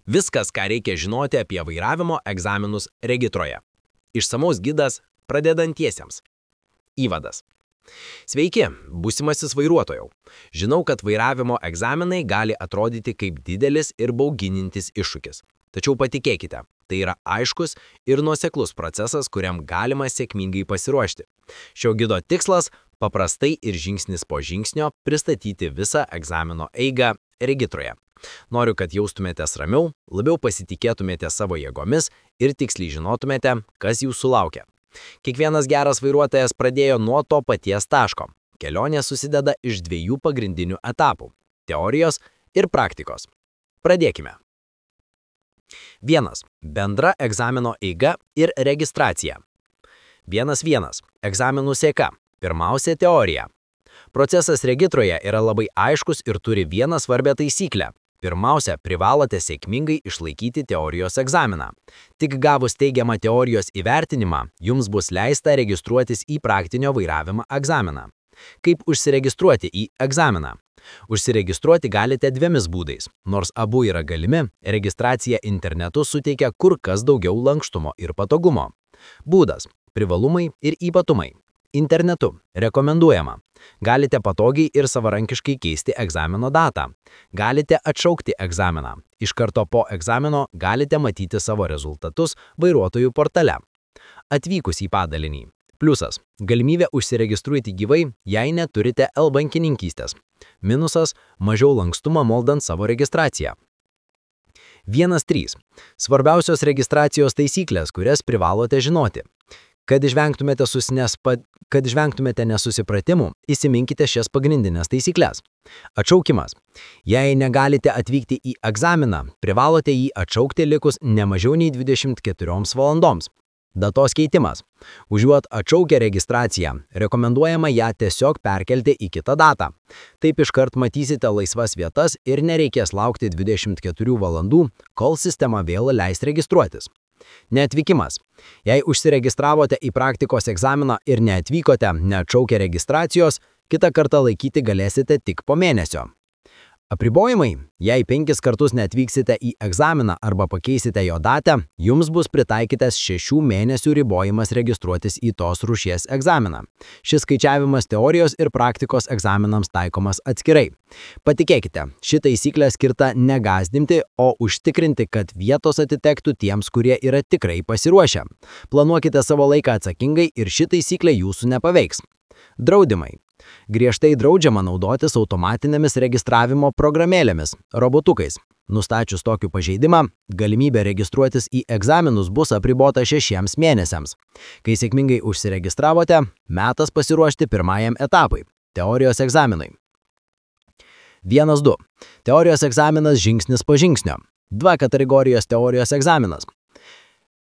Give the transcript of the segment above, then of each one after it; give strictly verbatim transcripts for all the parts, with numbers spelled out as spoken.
Viskas, ką reikia žinoti apie vairavimo egzaminus regitroje. Išsamaus gidas pradedantiesiems. Įvadas. Sveiki, būsimasis vairuotojau. Žinau, kad vairavimo egzaminai gali atrodyti kaip didelis ir bauginantis iššūkis. Tačiau patikėkite, tai yra aiškus ir nuoseklus procesas, kuriam galima sėkmingai pasiruošti. Šio gido tikslas – paprastai ir žingsnis po žingsnio pristatyti visą egzamino eigą regitroje. Noriu, kad jaustumėtės ramiau, labiau pasitikėtumėte savo jėgomis ir tiksliai žinotumėte, kas jūsų laukia. Kiekvienas geras vairuotojas pradėjo nuo to paties taško. Kelionė susideda iš dviejų pagrindinių etapų – teorijos ir praktikos. Pradėkime. Vienas. Bendra egzamino eiga ir registracija. Vienas vienas. Egzaminų seka. Pirmiausia teorija. Procesas regitroje yra labai aiškus ir turi vieną svarbią taisyklę. Pirmiausia, privalote sėkmingai išlaikyti teorijos egzaminą. Tik gavus teigiamą teorijos įvertinimą, jums bus leista registruotis į praktinio vairavimo egzaminą. Kaip užsiregistruoti į egzaminą? Užsiregistruoti galite dviemis būdais. Nors abu yra galimi, registracija internetu suteikia kur kas daugiau lankstumo ir patogumo. Būdas – privalumai ir ypatumai. Internetu rekomenduojama. Galite patogiai ir savarankiškai keisti egzamino datą. Galite atšaukti egzaminą. Iš karto po egzamino galite matyti savo rezultatus vairuotojų portale. Atvykus į padalinį. Pliusas – galimybė užsiregistruoti gyvai, jei neturite e-bankininkystės. Minusas – mažiau lankstumo moldant savo registraciją. Vienas trys. Svarbiausios registracijos taisyklės, kurias privalote žinoti. Kad išvengtumėte, susinespa... Kad išvengtumėte nesusipratimų, įsiminkite šias pagrindinės taisyklės. Atšaukimas. Jei negalite atvykti į egzaminą, privalote jį atšaukti likus ne mažiau nei dvidešimt keturioms valandoms. Datos keitimas. Užuot atšaukę registraciją, rekomenduojama ją tiesiog perkelti į kitą datą. Taip iškart matysite laisvas vietas ir nereikės laukti dvidešimt keturių valandų, kol sistema vėl leis registruotis. Neatvykimas. Jei užsiregistravote į praktikos egzaminą ir neatvykote, neatšaukę registracijos, kitą kartą laikyti galėsite tik po mėnesio. Apribojimai. Jei penkis kartus neatvyksite į egzaminą arba pakeisite jo datą, jums bus pritaikytas šešių mėnesių ribojimas registruotis į tos rūšies egzaminą. Šis skaičiavimas teorijos ir praktikos egzaminams taikomas atskirai. Patikėkite, ši taisyklė skirta negazdinti, o užtikrinti, kad vietos atitektų tiems, kurie yra tikrai pasiruošę. Planuokite savo laiką atsakingai ir ši taisyklė jūsų nepaveiks. Draudimai. Griežtai draudžiama naudotis automatinėmis registravimo programėlėmis, robotukais. Nustačius tokį pažeidimą, galimybė registruotis į egzaminus bus apribota šešiems mėnesiams. Kai sėkmingai užsiregistravote, metas pasiruošti pirmajam etapui – teorijos egzaminui. Vienas du. Teorijos egzaminas žingsnis po žingsnio. Dvi kategorijos teorijos egzaminas.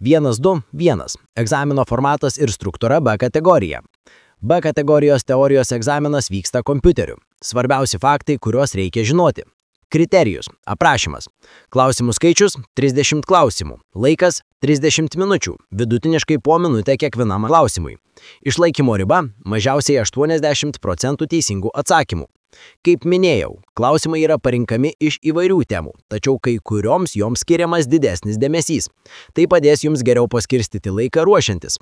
Vienas du vienas. Egzamino formatas ir struktūra B kategorija. B kategorijos teorijos egzaminas vyksta kompiuteriu. Svarbiausi faktai, kuriuos reikia žinoti. Kriterijus. Aprašymas. Klausimų skaičius – trisdešimt klausimų. Laikas – trisdešimt minučių. Vidutiniškai po minutę kiekvienam klausimui. Išlaikymo riba – mažiausiai aštuoniasdešimt procentų teisingų atsakymų. Kaip minėjau, klausimai yra parinkami iš įvairių temų, tačiau kai kurioms joms skiriamas didesnis dėmesys. Tai padės jums geriau paskirstyti laiką ruošiantis.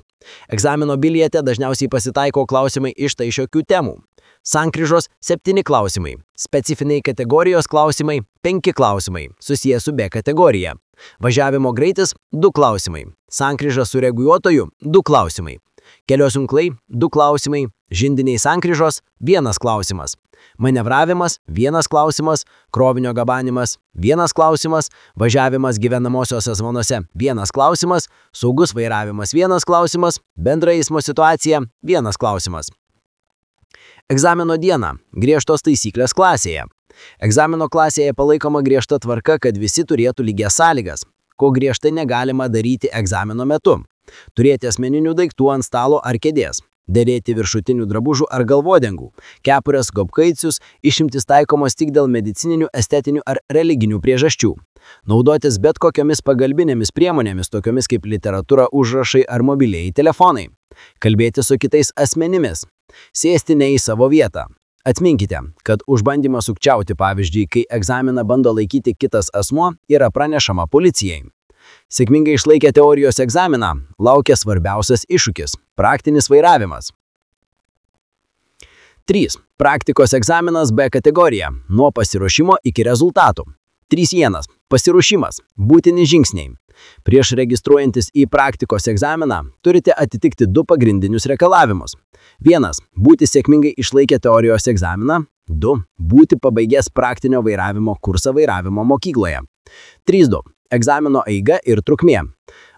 Egzamino biliete dažniausiai pasitaiko klausimai iš tai šiokių temų. Sankryžos – septyni klausimai. Specifiniai kategorijos klausimai – penki klausimai, susiję su B kategorija. Važiavimo greitis – du klausimai. Sankryža su reguliuotoju – du klausimai. Kelios junklai – du klausimai. Žindiniai sankryžos – vienas klausimas. Manevravimas – vienas klausimas. Krovinio gabanimas – vienas klausimas. Važiavimas gyvenamosiose zonose – vienas klausimas. Saugus vairavimas – vienas klausimas. Bendra eismo situacija – vienas klausimas. Egzamino diena – griežtos taisyklės klasėje. Egzamino klasėje palaikoma griežta tvarka, kad visi turėtų lygias sąlygas, ko griežtai negalima daryti egzamino metu. Turėti asmeninių daiktų ant stalo ar kėdės. Dėvėti viršutinių drabužių ar galvodengų. Kepures, gobkaicius, išimtis taikomos tik dėl medicininių, estetinių ar religinių priežasčių. Naudotis bet kokiomis pagalbinėmis priemonėmis, tokiomis kaip literatūra, užrašai ar mobilieji telefonai. Kalbėti su kitais asmenimis. Sėsti ne į savo vietą. Atminkite, kad už bandymą sukčiauti, pavyzdžiui, kai egzaminą bando laikyti kitas asmuo, yra pranešama policijai. Sėkmingai išlaikę teorijos egzaminą, laukia svarbiausias iššūkis – praktinis vairavimas. trys. Praktikos egzaminas B kategorija – nuo pasiruošimo iki rezultatų. trys vienas. Pasiruošimas – būtini žingsniai. Prieš registruojantis į praktikos egzaminą turite atitikti du pagrindinius reikalavimus. vienas. Būti sėkmingai išlaikę teorijos egzaminą. du. Būti pabaigęs praktinio vairavimo kursą vairavimo mokykloje. trys du. Egzamino eiga ir trukmė.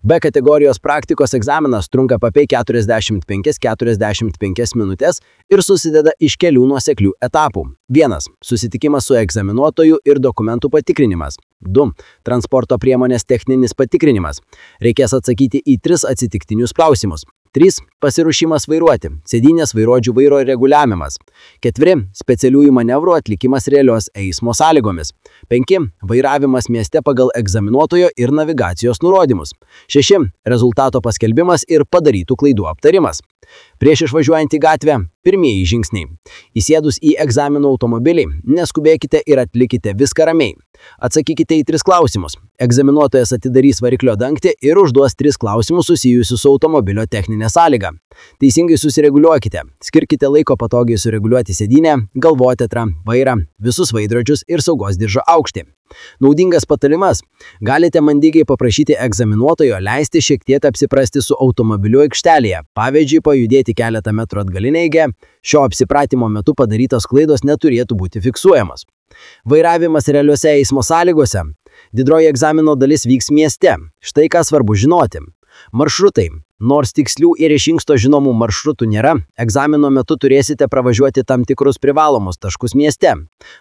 B kategorijos praktikos egzaminas trunka apie keturiasdešimt penkias iki keturiasdešimt penkias minutės ir susideda iš kelių nuoseklių etapų. vienas. Susitikimas su egzaminuotoju ir dokumentų patikrinimas. du. Transporto priemonės techninis patikrinimas. Reikės atsakyti į tris atsitiktinius klausimus. trys. Pasiruošimas vairuoti. Sėdynės vairuodžių vairo reguliavimas. keturi. Specialiųjų manevrų atlikimas realios eismo sąlygomis. penki. Vairavimas mieste pagal egzaminuotojo ir navigacijos nurodymus. šeši. Rezultato paskelbimas ir padarytų klaidų aptarimas. Prieš išvažiuojant į gatvę, pirmieji žingsniai. Įsėdus į egzaminų automobilį, neskubėkite ir atlikite viską ramiai. Atsakykite į tris klausimus. Egzaminuotojas atidarys variklio dangtį ir užduos tris klausimus susijusius su automobilio techninė sąlyga. Teisingai susireguliuokite. Skirkite laiko patogiai sureguliuoti sėdynę, galvotetrą, vairą, visus veidrodžius ir saugos diržo aukštį. Naudingas patarimas. Galite mandagiai paprašyti egzaminuotojo leisti šiek tiek apsiprasti su automobiliu aikštelėje, pavyzdžiui, pajudėti keletą metrų atgalinę eigą. Šio apsipratimo metu padarytos klaidos neturėtų būti fiksuojamos. Vairavimas realiuose eismo sąlygose. Didroji egzamino dalis vyks mieste. Štai ką svarbu žinoti. Maršrutai. Nors tikslių ir iš anksto žinomų maršrutų nėra, egzamino metu turėsite pravažiuoti tam tikrus privalomus taškus mieste.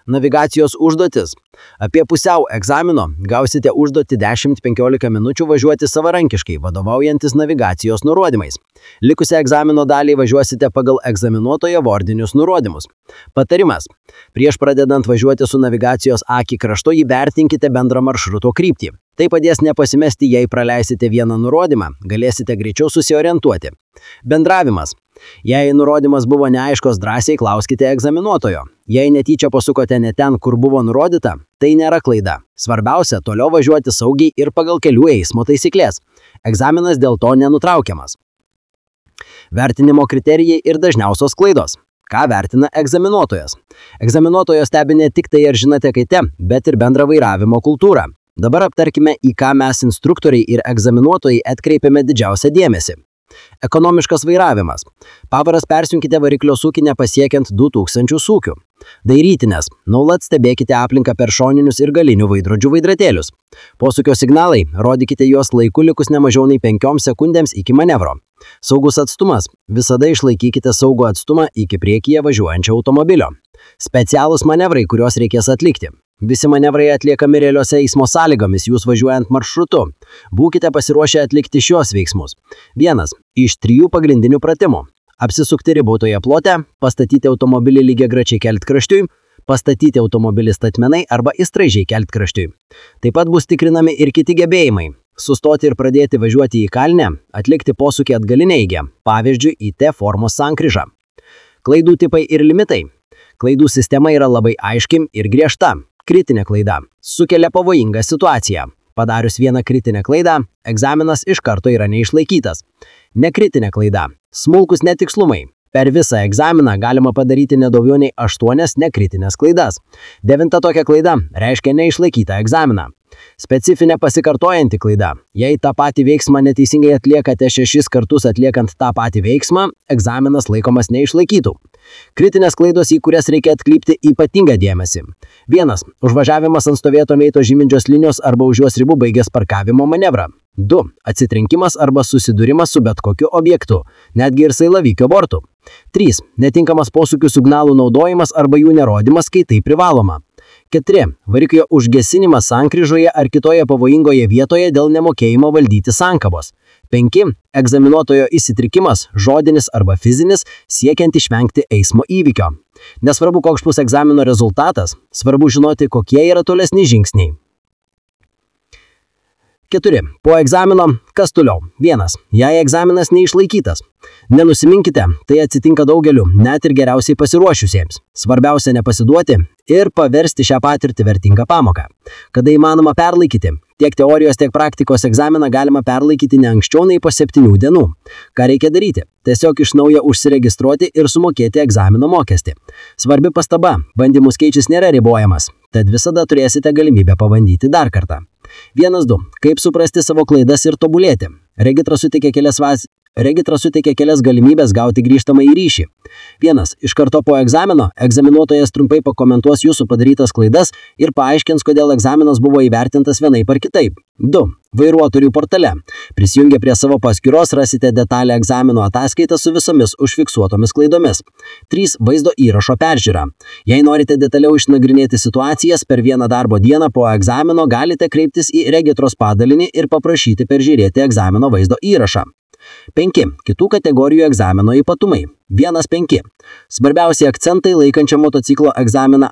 Navigacijos užduotis. Apie pusiau egzamino gausite užduotį dešimt penkiolika minučių važiuoti savarankiškai, vadovaujantis navigacijos nurodymais. Likusią egzamino dalį važiuosite pagal egzaminuotojo vardinius nurodymus. Patarimas. Prieš pradedant važiuoti su navigacijos akį kraštu įvertinkite bendrą maršruto kryptį. Tai padės nepasimesti, jei praleisite vieną nurodymą, galėsite greičiau susiorientuoti. Bendravimas. Jei nurodymas buvo neaiškos, drąsiai klauskite egzaminuotojo. Jei netyčia pasukote ne ten, kur buvo nurodyta, tai nėra klaida. Svarbiausia, toliau važiuoti saugiai ir pagal kelių eismo taisyklės. Egzaminas dėl to nenutraukiamas. Vertinimo kriterijai ir dažniausios klaidos. Ką vertina egzaminuotojas? Egzaminuotojo stebi ne tik tai, ar žinote kaite, bet ir bendrą vairavimo kultūrą. Dabar aptarkime, į ką mes instruktoriai ir egzaminuotojai atkreipiame didžiausią dėmesį. Ekonomiškas vairavimas. Pavaras persunkite variklio sūkį nepasiekiant du tūkstančius sūkių. Dairytinės. Nuolat stebėkite aplinką per šoninius ir galinių veidrodžių veidratėlius. Posūkio signalai. Rodykite juos laiku likus nemažiau nei penkioms sekundėms iki manevro. Saugus atstumas. Visada išlaikykite saugų atstumą iki priekyje važiuojančio automobilio. Specialūs manevrai, kuriuos reikės atlikti. Visi manevrai atliekami realiuose eismo sąlygomis jūs važiuojant maršrutu. Būkite pasiruošę atlikti šios veiksmus. Vienas iš trijų pagrindinių pratimų. Apsisukti ribotoje plote, pastatyti automobilį lygiagrečiai keltkraštiui, pastatyti automobilį statmenai arba įstraižiai keltkraštiui. Taip pat bus tikrinami ir kiti gebėjimai. Sustoti ir pradėti važiuoti į kalnę, atlikti posūkį atgalinę eigą, pavyzdžiui, į T formos sankryžą. Klaidų tipai ir limitai. Klaidų sistema yra labai aiški ir griežta. Kritinė klaida. Sukelia pavojingą situaciją. Padarius vieną kritinę klaidą, egzaminas iš karto yra neišlaikytas. Nekritinė klaida. Smulkus netikslumai. Per visą egzaminą galima padaryti nedaugiau nei aštuonias nekritinės klaidas. Devinta tokia klaida reiškia neišlaikytą egzaminą. Specifinė pasikartojanti klaida. Jei tą patį veiksmą neteisingai atliekate šešis kartus atliekant tą patį veiksmą, egzaminas laikomas neišlaikytų. Kritinės klaidos, į kurias reikia atkreipti ypatingą dėmesį. Vienas. Užvažiavimas ant stovėto meito žyminčios linijos arba už jos ribų baigęs parkavimo manevrą. du. Atsitrenkimas arba susidūrimas su bet kokiu objektu, netgi ir sailavykio bortu. trys. Netinkamas posūkių signalų naudojimas arba jų nerodymas, kai tai privaloma. keturi. Variklio užgesinimas sankryžoje ar kitoje pavojingoje vietoje dėl nemokėjimo valdyti sankabos. penki. Egzaminuotojo įsitrikimas, žodinis arba fizinis, siekiant išvengti eismo įvykio. Nesvarbu, koks bus egzamino rezultatas, svarbu žinoti, kokie yra tolesni žingsniai. keturi. Po egzamino, kas toliau? vienas. Jei egzaminas neišlaikytas. Nenusiminkite, tai atsitinka daugeliu, net ir geriausiai pasiruošusiems. Svarbiausia nepasiduoti ir paversti šią patirtį vertingą pamoką. Kada įmanoma perlaikyti? Tiek teorijos, tiek praktikos egzaminą galima perlaikyti ne anksčiau nei po septynių dienų. Ką reikia daryti? Tiesiog iš naujo užsiregistruoti ir sumokėti egzamino mokestį. Svarbi pastaba, bandymų skaičius nėra ribojamas, tad visada turėsite galimybę pabandyti dar kartą. vienas du. Kaip suprasti savo klaidas ir tobulėti? Regitra suteikia kelias, vas... Regitra suteikia kelias galimybės gauti grįžtamą į ryšį. vienas. Iš karto po egzamino egzaminuotojas trumpai pakomentuos jūsų padarytas klaidas ir paaiškins, kodėl egzaminas buvo įvertintas vienaip ar kitaip. du. Vairuotojų portale. Prisijungę prie savo paskyros rasite detalę egzamino ataskaitą su visomis užfiksuotomis klaidomis. trys. Vaizdo įrašo peržiūra. Jei norite detaliau išnagrinėti situacijas per vieną darbo dieną po egzamino, galite kreiptis į regitros padalinį ir paprašyti peržiūrėti egzamino vaizdo įrašą. penki. Kitų kategorijų egzamino ypatumai. vienas penki. Svarbiausi akcentai laikančio motociklo egzaminą